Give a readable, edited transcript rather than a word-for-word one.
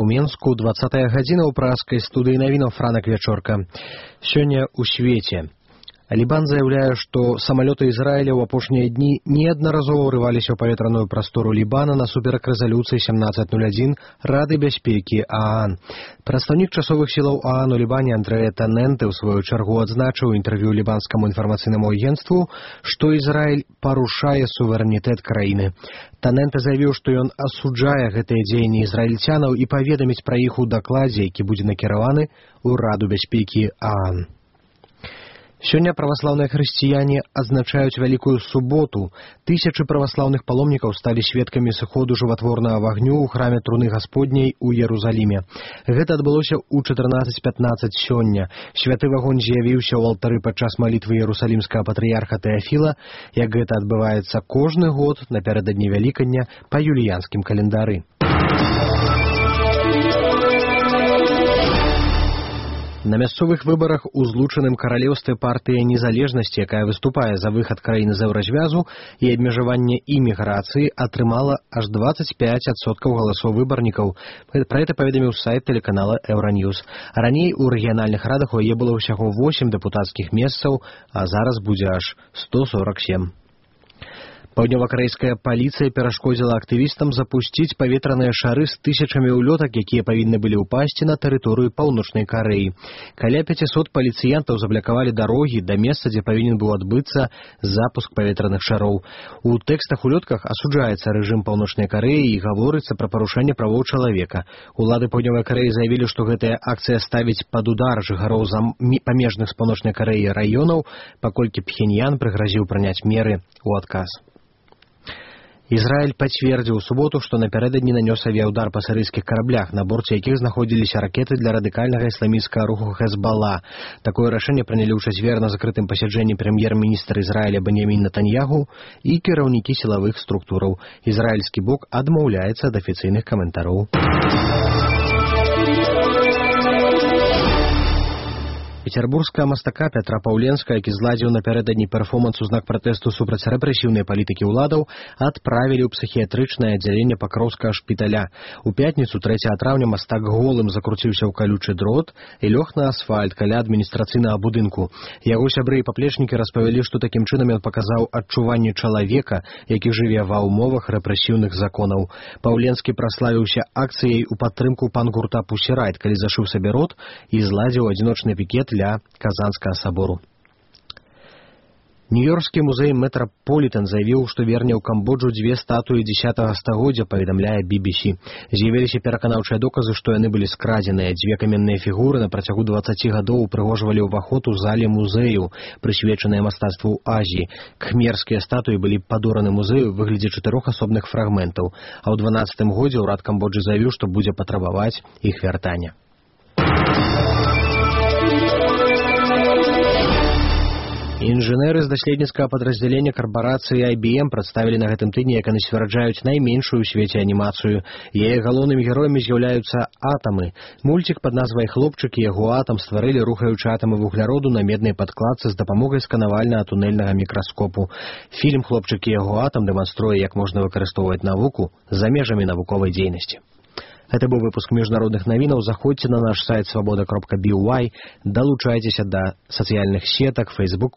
у Менску 20-я гадзіна ў пражскай студыі навінаў Франак Вячорка. Сёння ў свеце. Лібан заяўляе, што самалёты Ізраіля ў апошнія дні неаднаразова ўрываліся ў паветраную прастору Лібана насуперак рэзалюцыі 1701 Рады бяспекі ААН. Прадстаўнік часовых сілаў ААН у Лібане Андрэа Таненте ў сваю чаргу адзначыў у інтэрв'ю лібанскаму інфармацыйнаму агенцтву, што Ізраіль парушае суверэнітэт краіны. Таненте заявіў, што ён асуджае гэтыя дзеянні ізраільцянаў і паведаміць пра іх у дакладзе, які будзе накіраваны ў Раду бяспекі ААН. Сёння праваслаўныя хрысціяне адзначаюць Вялікую суботу. Тысячы праваслаўных паломнікаў сталі сведкамі сыходу жыватворнага вагню ў храме Труны Гасподняй у Ерусаліме. Гэта адбылося ў 14:15 сёння. Святы вагонь з'явіўся ў алтары падчас малітвы ерусалімскага патрыярха Тэафіла, як гэта адбываецца кожны год напярэдадні Вялікадня па юліянскім календары. На мясцовых выбарах у злучаным каралеўстве партыя незалежнасці, якая выступае за выхад краіны з еўразвязу і абмежаванне іміграцыі, атрымала аж 25% галасоў выбарнікаў. Пра гэта паведаміў сайт тэлеканала Еўраньюз. Раней у рэгіянальных радах у яе было ўсяго 8 дэпутацкіх месцаў, а зараз будзе аж 147. Паўднёвакарэйская паліцыя перашкодзіла актывістам запусціць паветраныя шары з тысячамі ўлётак, якія павінны былі ўпасці на тэрыторыю Паўночнай Карэі. Каля 500 паліцыянтаў заблакавалі дарогі да месца, дзе павінен быў адбыцца запуск паветраных шароў. У тэкстах улётках асуджаецца рэжым Паўночнай Карэі і гаворыцца пра парушэнне правоў чалавека. Улады Паўднёвай Карэі заявілі, што гэтая акцыя ставіць пад удар жыхароў памежных з Паўночнай Карэі раёнаў, паколькі Пхеньян прыгразіў прыняць меры ў адказ. Ізраіль пацвердзіў у суботу, што напярэдадні нанёс авіяўдар па сірыйскіх караблях, на борце якіх знаходзіліся ракеты для радыкальнага ісламісцкага руху Хезбалла. Такое рашэнне прынялі ў чацвер на закрытым пасяджэнні прэм'ер-міністра Ізраіля Беньяміна Нетаньяху і кіраўнікі сілавых структураў. Ізраільскі бок адмаўляецца ад афіцыйных каментароў. Петербургская мастака Пятра Паўленская, які зладзіў напярэдадні перформанс у знак пратэсту супраць рэпрэсіўнай палітыкі ўладаў, адправілі ў псіхіятрычнае аддзяленне Пакроўскага шпіталя. У пятніцу 3 траўня мастак голым закруціўся ў калючы дрот і лёг на асфальт каля адміністрацыйнага будынку. Яго сябры і паплечнікі распавялі, што такім чынам ён паказаў адчуванне чалавека, які жыве ва ўмовах рэпрэсіўных законаў. Паўленскі праславіўся акцыяй у падтрымку пан-гурта «Пусірайт», калі зашыў сабе рот і зладзіў адзіночны пікет для Казанскага сабору. Нью-Йоркскі музей Метраполітэн заявіў, што верне ў Камбоджу 2 статуі 10-го стагоддзя, паведамляе BBC. З'явіліся пераканаўчыя доказы, што яны былі скрадзеныя. 2 каменныя фігуры на працягу 20 гадоў упрыгожвалі ўваход у зале музею, прысвечаныя мастацтву Азіі. Кхмерскія статуі былі падораны музею ў выглядзе 4 асобных фрагментаў, а ў 12-м годзе ўрад Камбоджы заявіў, што будзе патрабаваць іх вяртання. Інжынеры з даследніцкага падраздзялення карпорацыі IBM прадставілі на гэтым тыдні, як яны сцвярджаюць, найменшую ў свеце анімацыю. Яе галоўнымі героямі з'яўляюцца атамы. Мульцік пад назвай «Хлопчык і яго атам» стварылі рухаючы атамы вугляроду на меднай падкладцы з дапамогай сканавальнага тунэльнага мікраскопу. Фільм «Хлопчык і яго атам» дэманструе, як можна выкарыстоўваць навуку за межамі навуковай дзейнасці. Гэта быў выпуск міжнародных навінаў. Заходзьце на наш сайт свабода.by, далучайцеся да сацыяльных сетак, Facebook,